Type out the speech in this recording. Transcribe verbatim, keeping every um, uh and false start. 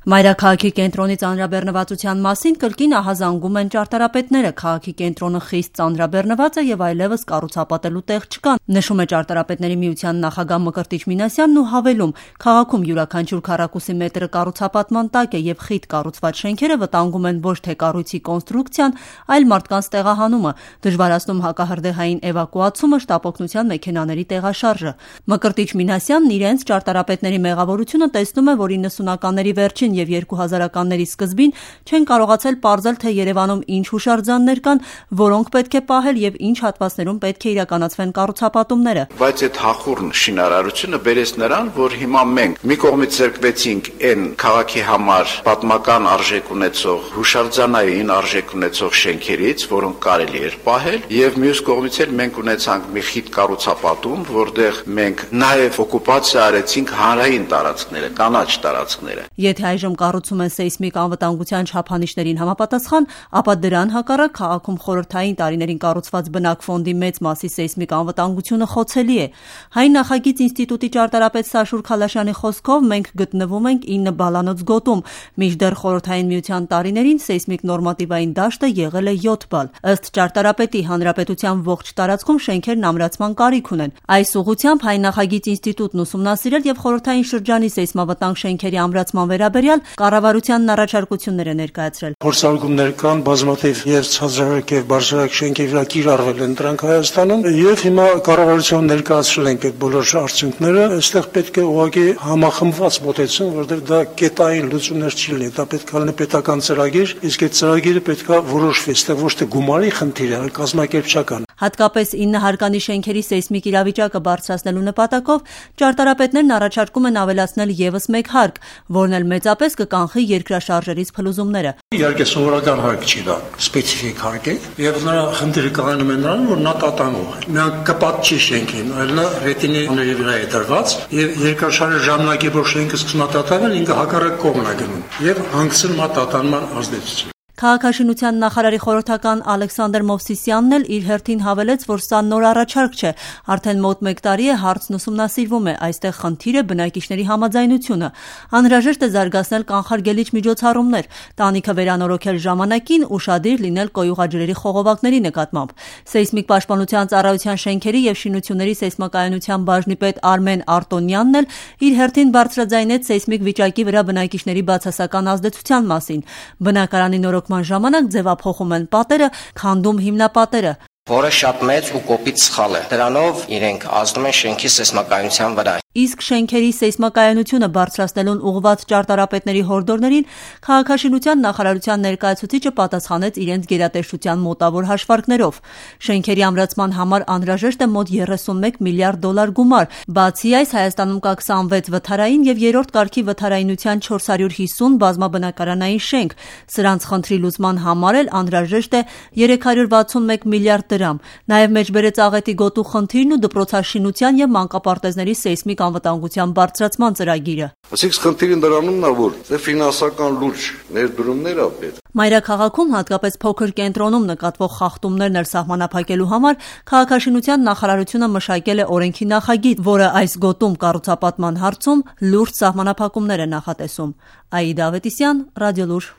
Մայրաքաղաքի կենտրոնի ծանրաբեռնվածության մասին կրկին ահազանգում են ճարտարապետները։ Քաղաքի կենտրոնը խիստ ծանրաբեռնված է եւ այլեւս կառուցապատելու տեղ չկա, նշում է ճարտարապետների միության նախագահ Մկրտիչ Մինասյանն ու հավելում. քաղաքում յուրաքանչյուր քառակուսի մետրը կառուցապատման տակ է եւ խիտ կառուցված շենքերը վտանգում են ոչ թե կառույցի կոնստրուկցիան, այլ մարդկանց տեղահանումը, դժվարացնում հակահրդեհային էվակուացումը, շտապօգնության մեքենաների տեղաշարժը։ Մկրտիչ Մինասյանն իրենց ճարտարապետների մեղավորությունը տեսնում է, որ իննսունականների վերջին եւ երկու հազարականների սկզբին չեն կարողացել պարզել, թե Երևանում ինչ հուշարձաններ կան, որոնք պետք է պահել եւ ինչ հատվածներում պետք է իրականացվեն կառուցապատումները։ Բայց այդ հախուռն շինարարությունը բերեց նրան, որ հիմա մենք մի կողմից զրկվեցինք այն քաղաքի համար պատմական արժեք ունեցող, հուշարձանային արժեք ունեցող շենքերից, որոնք կարելի էր պահել, եւ մյուս կողմից էլ մենք ունեցանք մի խիտ կառուցապատում, որտեղ մենք նաեւ օկուպացիա արեցինք հանրային տարածքները, կանաչ տարածքները։ Եթե այժմ կառուցում են սեյսմիկ անվտանգության չափանիշներին համապատասխան, ապա դրան հակառակ քաղաքում խորհրդային տարիներին կառուցված բնակֆոնդի մեծ մասի սեյսմիկ անվտանգությունը խոցելի է։ Հայ նախագիծ ինստիտուտի ճարտարապետ Սաշուր Խալաշյանի խոսքով մենք գտնվում ենք ինը բալանոց գոտում, մինչդեռ խորհրդային միության տարիներին սեյսմիկ նորմատիվային դաշտը եղել է յոթ բալ։ Ըստ ճարտարապետի, հանրապետության ողջ տարածքում շենքերն ամրացման կարիք ունեն։ Այս ուղղությամբ Հայ նախագիծ ինստիտուտն ուսումնասիրել եւ խորհրդային շրջանի սեյսմավտանգ շենքերի ամրացման վերաբերյալ կառավարությանն առաջարկություններ է ներկայացրել։ Փորձարկումներ կան, բազմաթիվ եւ ցածրահարկ եւ բարձրահարկ շենքերի վրա կիրառվել են դրանք Հայաստանում եւ հիմա կառավարության ներկայացրել ենք այդ բոլոր արդյունքները։ Այստեղ պետք է ուղղակի համախմբված մոտեցում, որովհետեւ դա կետային լուծումներ չի լինի, դա պետք է լինի պետական ծրագիր, իսկ այդ ծրագիրը պետք է որոշվի, այստեղ ոչ թե գումարի խնդիր է, այլ կազմակերպչական։ Հատկապես ինը հարկանի շենքերի սեյսմիկ իրավիճակը բարձրացնելու նպատակով ճարտարապետներն առաջարկում են ավելացնել եւս մեկ հարկ, որն էլ մեծապես կկանխի երկրաշարժերից փլուզումները։ Իհարկե սովորական հարկ չի դա, սպეციფიկ հարկ է, եւ նրա խնդիրը կայանում է նրանում, որ նա տատանող է։ Նա կպատ չի շենքին, այլ նա ռետինիների վրա է դրված, եւ երկրաշարժի ժամանակի որ շենքը սկսում է տատանվել, ինքը հակառակ կողմն է գնում եւ հանգցնում է տատանման ազդեցություն։ Քաղաքաշինության նախարարի խորհրդական Ալեքսանդր Մովսիսյանն էլ իր հերթին հավելեց, որ սա նոր առաջարկ չէ, արդեն մոտ մեկ տարի է հարցն ուսումնասիրվում է, այստեղ խնդիր է բնակիչների համաձայնությունը։ Անհրաժեշտ է զարգացնել կանխարգելիչ միջոցառումներ, տանիքը վերանորոգել ժամանակին, ուշադիր լինել կոյուղաջրերի խողովակների նկատմամբ։ Սեյսմիկ պաշտպանության ծառայության շենքերի եւ շինությունների սեյսմակայունության բաժնի պետ Արմեն Արտոնյանն էլ իր հերթին բարձրաձայնեց սեյսմիկ վիճակի վրա բնակիչների բացասական ազդեցության մասին։ Բնակարանի նորոգման ժամանակ ձևափոխում են պատերը, քանդում հիմնապատերը, որը շատ մեծ ու կոպիտ սխալ է։ Դրանով իրենք ազդում են շենքի սեյսմակայունության վրա։ Իսկ շենքերի սեյսմակայունությունը բարձրացնելուն ուղղված ճարտարապետների հորդորներին քաղաքաշինության նախարարության ներկայացուցիչը պատասխանեց իրենց գերատեսչության մոտավոր հաշվարկներով։ Շենքերի ամրացման համար անհրաժեշտ է մոտ երեսունմեկ միլիարդ դոլար գումար։ Բացի այս, Հայաստանում կա քսանվեց վթարային եւ երրորդ կարգի վթարայնության չորս հարյուր հիսուն բազմաբնակարանային շենք։ Սրանց խնդրի լուծման համար էլ անհրաժեշտ է երեք հարյուր վաթսունմեկ միլիարդ դրամ։ Նաեւ մեջբերեց աղետի գոտու խնդիրն ու դպրոցաշինության եւ մանկապարտեզների սեյսմիկ անվտանգության բարձրացման ծրագիրը։ Այսինքն խնդիրը դրանում է, որ դե ֆինանսական լուրջ ներդրումներ ա պետք։ Մայրաքաղաքում, հատկապես փոքր կենտրոնում նկատվող խախտումներն էլ սահմանափակելու համար քաղաքաշինության նախարարությունը մշակել է օրենքի նախագիծ, որը այս գոտում կառուցապատման հարցում լուրջ սահմանափակումներ է նախատեսում։ Աիդա Ավետիսյան, Ռադիոլուր։